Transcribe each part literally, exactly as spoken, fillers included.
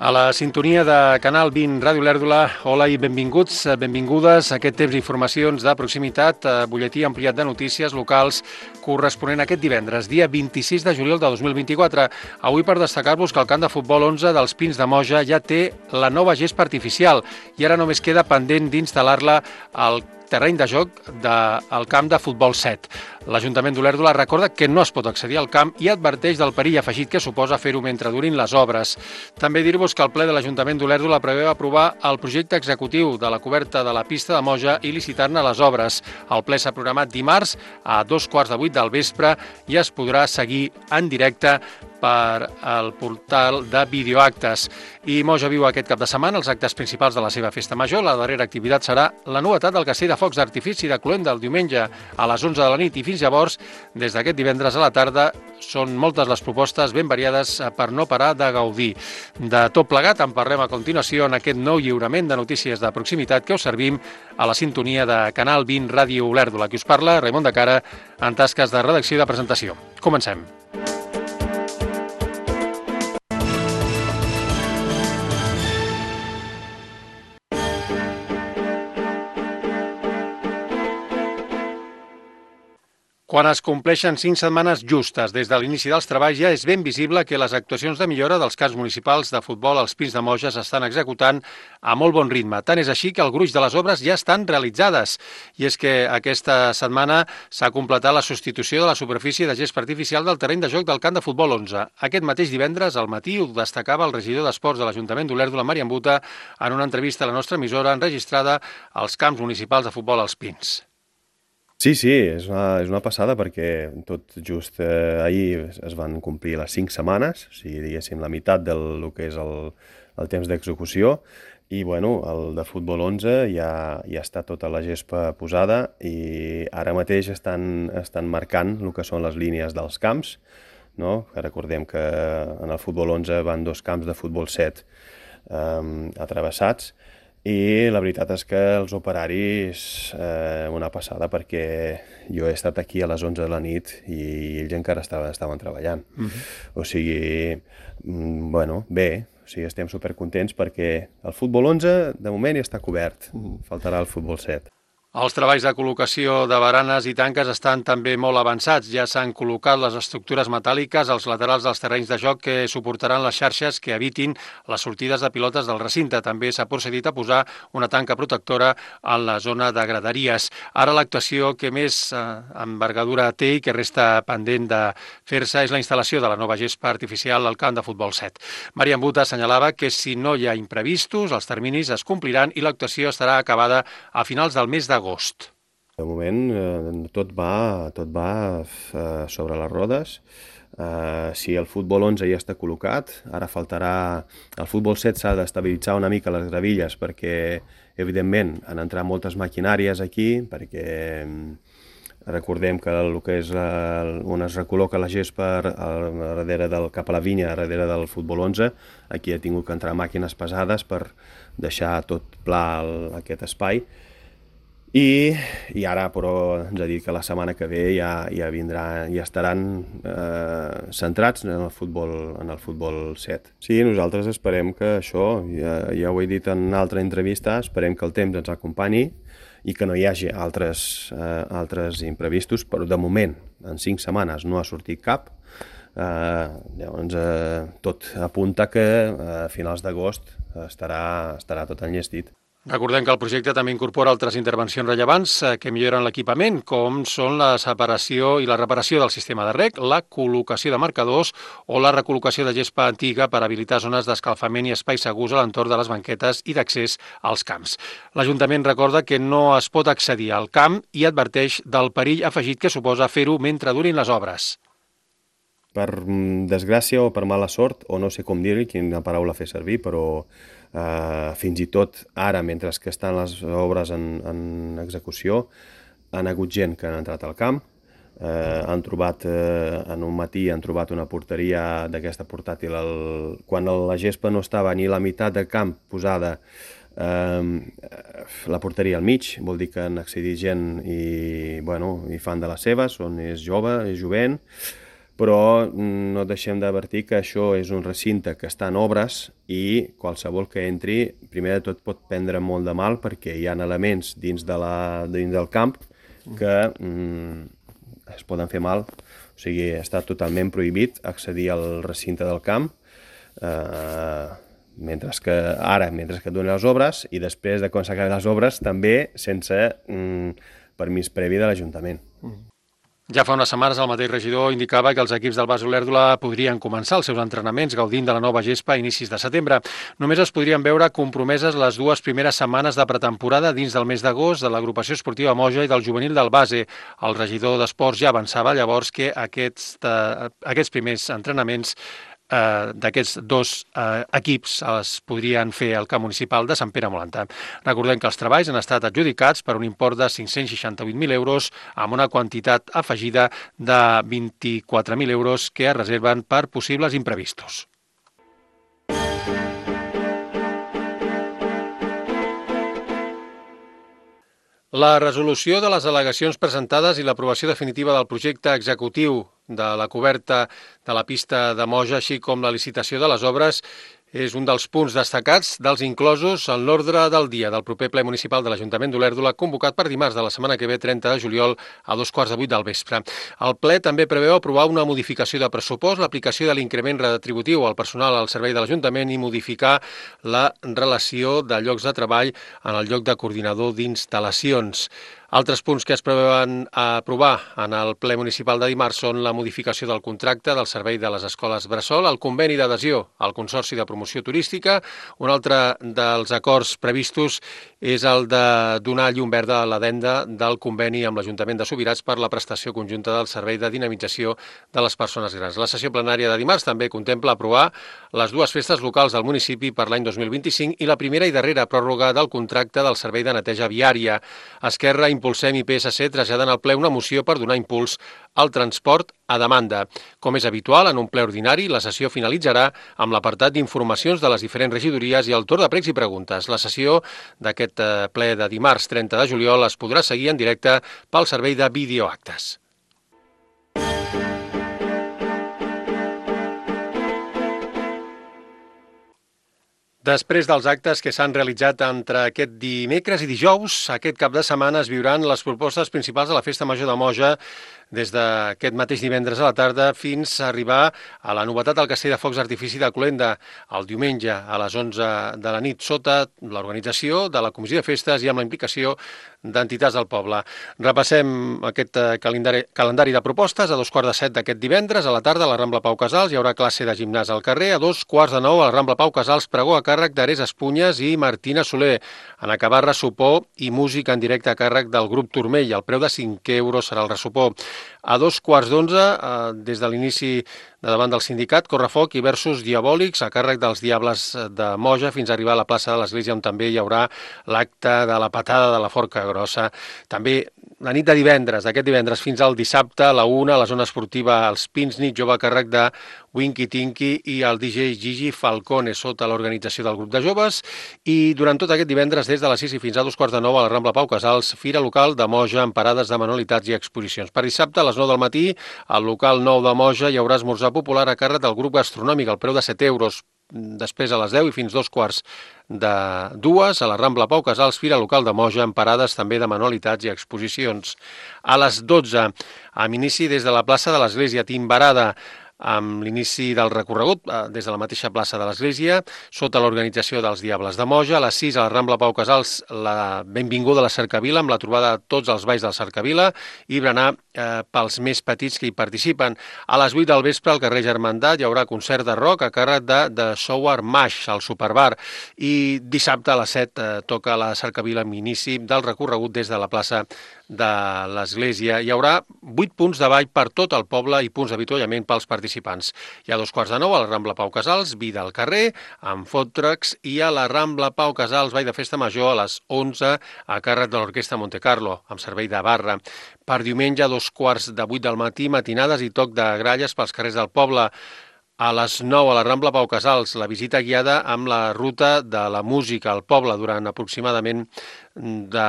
A la sintonia de Canal vint Ràdio Lèrdula, hola i benvinguts, benvingudes a aquest temps d'informacions de proximitat, butlletí ampliat de notícies locals corresponent a aquest divendres, dia vint-i-sis de juliol de dos mil vint-i-quatre. Avui per destacar-vos que el camp de futbol onze dels Pins de Moja ja té la nova gespa artificial i ara només queda pendent d'instal·lar-la al terreny de joc del camp de futbol set. L'Ajuntament d'Olèrdola recorda que no es pot accedir al camp i adverteix del perill afegit que suposa fer-ho mentre durin les obres. També dir-vos que el ple de l'Ajuntament d'Olèrdola preveu aprovar el projecte executiu de la coberta de la pista de Moja i licitar-ne les obres. El ple s'ha programat dimarts a dos quarts de vuit del vespre i es podrà seguir en directe per al portal de videoactes. I Moja viu aquest cap de setmana els actes principals de la seva festa major. La darrera activitat serà la novetat del castell de focs d'artifici de Cluent del diumenge a les onze de la nit i fins llavors, des d'aquest divendres a la tarda, són moltes les propostes ben variades per no parar de gaudir. De tot plegat en parlem a continuació en aquest nou lliurament de notícies de proximitat que us servim a la sintonia de Canal vint Ràdio Olèrdola. Qui us parla, Raimon de Cara, en tasques de redacció i de presentació. Comencem. Quan es compleixen cinc setmanes justes des de l'inici dels treballs, ja és ben visible que les actuacions de millora dels camps municipals de futbol als Pins de Moja s'estan executant a molt bon ritme. Tant és així que el gruix de les obres ja estan realitzades. I és que aquesta setmana s'ha completat la substitució de la superfície de gespa artificial del terreny de joc del camp de futbol onze. Aquest mateix divendres, al matí, ho destacava el regidor d'Esports de l'Ajuntament d'Olèrdola, Marian Buta, en una entrevista a la nostra emissora enregistrada als camps municipals de futbol als Pins. Sí, sí, és una, és una passada perquè tot just eh, ahir es van complir les cinc setmanes, o sigui, diguéssim, la meitat del que és el, el temps d'execució i, bueno, el de futbol onze ja, ja està tota la gespa posada i ara mateix estan, estan marcant el que són les línies dels camps, no? Recordem que en el futbol onze van dos camps de futbol set eh, atravessats. I la veritat és que els operaris, eh, una passada, perquè jo he estat aquí a les onze de la nit i ells encara estaven, estaven treballant. Mm-hmm. O sigui, bueno, bé, o sigui, estem supercontents perquè el futbol onze de moment ja està cobert, faltarà el futbol set. Els treballs de col·locació de baranes i tanques estan també molt avançats. Ja s'han col·locat les estructures metàl·liques als laterals dels terrenys de joc que suportaran les xarxes que evitin les sortides de pilotes del recinte. També s'ha procedit a posar una tanca protectora en la zona de graderies. Ara l'actuació que més eh, envergadura té i que resta pendent de fer-se és la instal·lació de la nova gespa artificial al camp de futbol set. Marian Buta assenyalava que si no hi ha imprevistos, els terminis es compliran i l'actuació estarà acabada a finals del mes d'agost. Agost. De moment eh, tot va, tot va eh, sobre les rodes. Eh, si el futbol onze ja està col·locat, ara faltarà... El futbol set s'ha d'estabilitzar una mica les gravilles perquè, evidentment, han entrat moltes maquinàries aquí, perquè recordem que el que és la, on es recol·loca la gespa darrere del, cap a la vinya, darrere del futbol onze, aquí ha tingut que entrar màquines pesades per deixar tot pla el, aquest espai. I, i ara, però, ens ha dit que la setmana que ve ja, ja, vindrà, ja estaran eh, centrats en el, futbol, en el futbol set. Sí, nosaltres esperem que això, ja, ja ho he dit en una altra entrevista, esperem que el temps ens acompanyi i que no hi hagi altres, eh, altres imprevistos, però de moment, en cinc setmanes, no ha sortit cap. Eh, llavors, eh, tot apunta que a finals d'agost estarà, estarà tot enllestit. Recordem que el projecte també incorpora altres intervencions rellevants que milloren l'equipament, com són la separació i la reparació del sistema de reg, la col·locació de marcadors o la recol·locació de gespa antiga per habilitar zones d'escalfament i espais segurs a l'entorn de les banquetes i d'accés als camps. L'Ajuntament recorda que no es pot accedir al camp i adverteix del perill afegit que suposa fer-ho mentre durin les obres. Per desgràcia o per mala sort, o no sé com dir-hi, quina paraula fer servir, però eh, fins i tot ara, mentre que estan les obres en, en execució, han hagut gent que han entrat al camp, eh, han trobat, eh, en un matí han trobat una porteria d'aquesta portàtil, el, quan la gespa no estava ni la meitat del camp posada, eh, la porteria al mig, vol dir que han accedit gent i, bueno, i fan de les seves, on és jove, és jovent, però no deixem d'advertir que això és un recinte que està en obres i qualsevol que entri, primer de tot pot prendre molt de mal perquè hi ha elements dins, de la, dins del camp que mm, es poden fer mal. O sigui, està totalment prohibit accedir al recinte del camp, eh, mentre que ara, mentre que donen les obres, i després de quan s'acaben les obres, també sense mm, permís previ de l'Ajuntament. Ja fa unes setmanes el mateix regidor indicava que els equips del Bas Olèrdola podrien començar els seus entrenaments gaudint de la nova gespa a inicis de setembre. Només es podrien veure compromeses les dues primeres setmanes de pretemporada dins del mes d'agost de l'agrupació esportiva Moja i del juvenil del Base. El regidor d'Esports ja avançava llavors que aquests, eh, aquests primers entrenaments eh, d'aquests dos eh, equips es podrien fer al camp municipal de Sant Pere Molantà. Recordem que els treballs han estat adjudicats per un import de cinc-cents seixanta-vuit mil euros amb una quantitat afegida de vint-i-quatre mil euros que es reserven per possibles imprevistos. La resolució de les al·legacions presentades i l'aprovació definitiva del projecte executiu de la coberta de la pista de Moja, així com la licitació de les obres, és un dels punts destacats dels inclosos en l'ordre del dia del proper ple municipal de l'Ajuntament d'Olèrdola, convocat per dimarts de la setmana que ve, trenta de juliol, a dos quarts de vuit del vespre. El ple també preveu aprovar una modificació de pressupost, l'aplicació de l'increment retributiu al personal al servei de l'Ajuntament i modificar la relació de llocs de treball en el lloc de coordinador d'instal·lacions. Altres punts que es preveuen aprovar en el ple municipal de dimarts són la modificació del contracte del servei de les escoles Bressol, el conveni d'adhesió al Consorci de Promoció Turística. Un altre dels acords previstos és el de donar llum verda a l'addenda del conveni amb l'Ajuntament de Subirats per la prestació conjunta del servei de dinamització de les persones grans. La sessió plenària de dimarts també contempla aprovar les dues festes locals del municipi per l'any dos mil vint-i-cinc i la primera i darrera pròrroga del contracte del servei de neteja viària. Esquerra, Impulsem i P S C traslladen al ple una moció per donar impuls al transport a demanda. Com és habitual, en un ple ordinari, la sessió finalitzarà amb l'apartat d'informacions de les diferents regidories i el torn de pregs i preguntes. La sessió d'aquest ple de dimarts trenta de juliol es podrà seguir en directe pel servei de videoactes. Després dels actes que s'han realitzat entre aquest dimecres i dijous, aquest cap de setmana es viuran les propostes principals de la Festa Major de Moja des d'aquest mateix divendres a la tarda fins a arribar a la novetat del castell de focs d'artifici de Colenda el diumenge a les onze de la nit sota l'organització de la Comissió de Festes i amb la implicació d'entitats del poble. Repassem aquest calendari, calendari de propostes. A dos quarts de set d'aquest divendres a la tarda a la Rambla Pau Casals hi haurà classe de gimnàs al carrer. A dos quarts de nou a la Rambla Pau Casals pregó a càrrec d'Ares Espunyes i Martina Soler. En acabar ressopó i música en directe a càrrec del grup Turmell. El preu de cinc euros serà el ressopó. A dos quarts d'onze, eh, des de l'inici de davant del sindicat, Correfoc i versus Diabòlics a càrrec dels Diables de Moja fins a arribar a la plaça de l'Església on també hi haurà l'acte de la patada de la Forca Grossa. També la nit de divendres, d'aquest divendres fins al dissabte, a la una, a la zona esportiva Els Pins, nit jove a càrrec de Winky Tinky i el D J Gigi Falcone sota l'organització del grup de joves. I durant tot aquest divendres, des de les sis i fins a dos quarts de nou a la Rambla Pau Casals, fira local de Moja amb parades de manualitats i exposicions. Per dissabte, a les nou del matí, al local nou de Moja hi haurà esmorzar popular a càrrec del grup gastronòmic, al preu de set euros. Després a les deu i fins dos quarts de dues a la Rambla Pau Casals, fira local de Moja amb parades també de manualitats i exposicions. A les dotze, amb inici des de la plaça de l'Església, Timbarada, amb l'inici del recorregut des de la mateixa plaça de l'Església, sota l'organització dels Diables de Moja. A les sis, a la Rambla Pau Casals, la benvinguda a la Cercavila, amb la trobada de tots els balls de la Cercavila i berenar eh, pels més petits que hi participen. A les vuit del vespre, al carrer Germandat, hi haurà concert de rock a càrrec de, de Sour Mash, al Superbar. I dissabte a les set eh, toca la Cercavila amb inici del recorregut des de la plaça de l'Església. Hi haurà vuit punts de ball per tot el poble i punts d'avituallament pels participants. Hi ha dos quarts de nou a la Rambla Pau Casals, vida al carrer, amb food trucks, i a la Rambla Pau Casals, ball de festa major, a les onze, a càrrec de l'Orquestra Monte Carlo, amb servei de barra. Per diumenge, a dos quarts de vuit del matí, matinades i toc de gralles pels carrers del poble. A les nou a la Rambla Pau Casals, la visita guiada amb la ruta de la música al poble durant aproximadament de,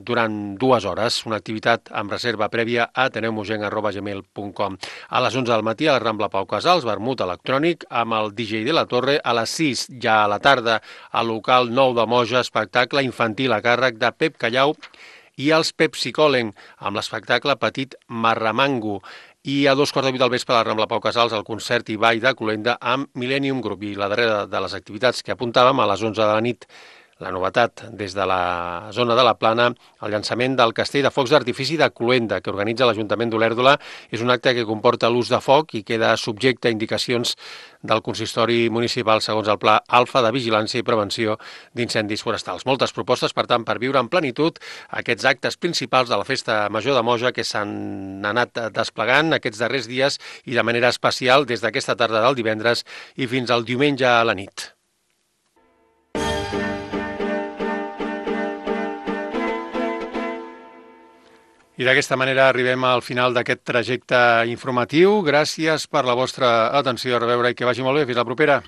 durant dues hores. Una activitat amb reserva prèvia a ateneumogenc arroba gmail punt com. A les onze del matí a la Rambla Pau Casals, vermut electrònic amb el D J de la Torre. A les sis, ja a la tarda, al local nou de Moja, espectacle infantil a càrrec de Pep Callau i els Pepsicolen, amb l'espectacle Petit Marramango. I a dos quarts de vuit del vespre a la Rambla Pau Casals el concert i ball de Cluenda amb Millennium Group. I la darrera de les activitats que apuntàvem, a les onze de la nit, la novetat des de la zona de la Plana, el llançament del castell de focs d'artifici de Cluenda, que organitza l'Ajuntament d'Olèrdola. És un acte que comporta l'ús de foc i queda subjecte a indicacions del consistori municipal segons el Pla Alfa de Vigilància i Prevenció d'Incendis Forestals. Moltes propostes, per tant, per viure en plenitud aquests actes principals de la Festa Major de Moja que s'han anat desplegant aquests darrers dies i de manera especial des d'aquesta tarda del divendres i fins al diumenge a la nit. I d'aquesta manera arribem al final d'aquest trajecte informatiu. Gràcies per la vostra atenció. A reveure i que vagi molt bé. Fins la propera.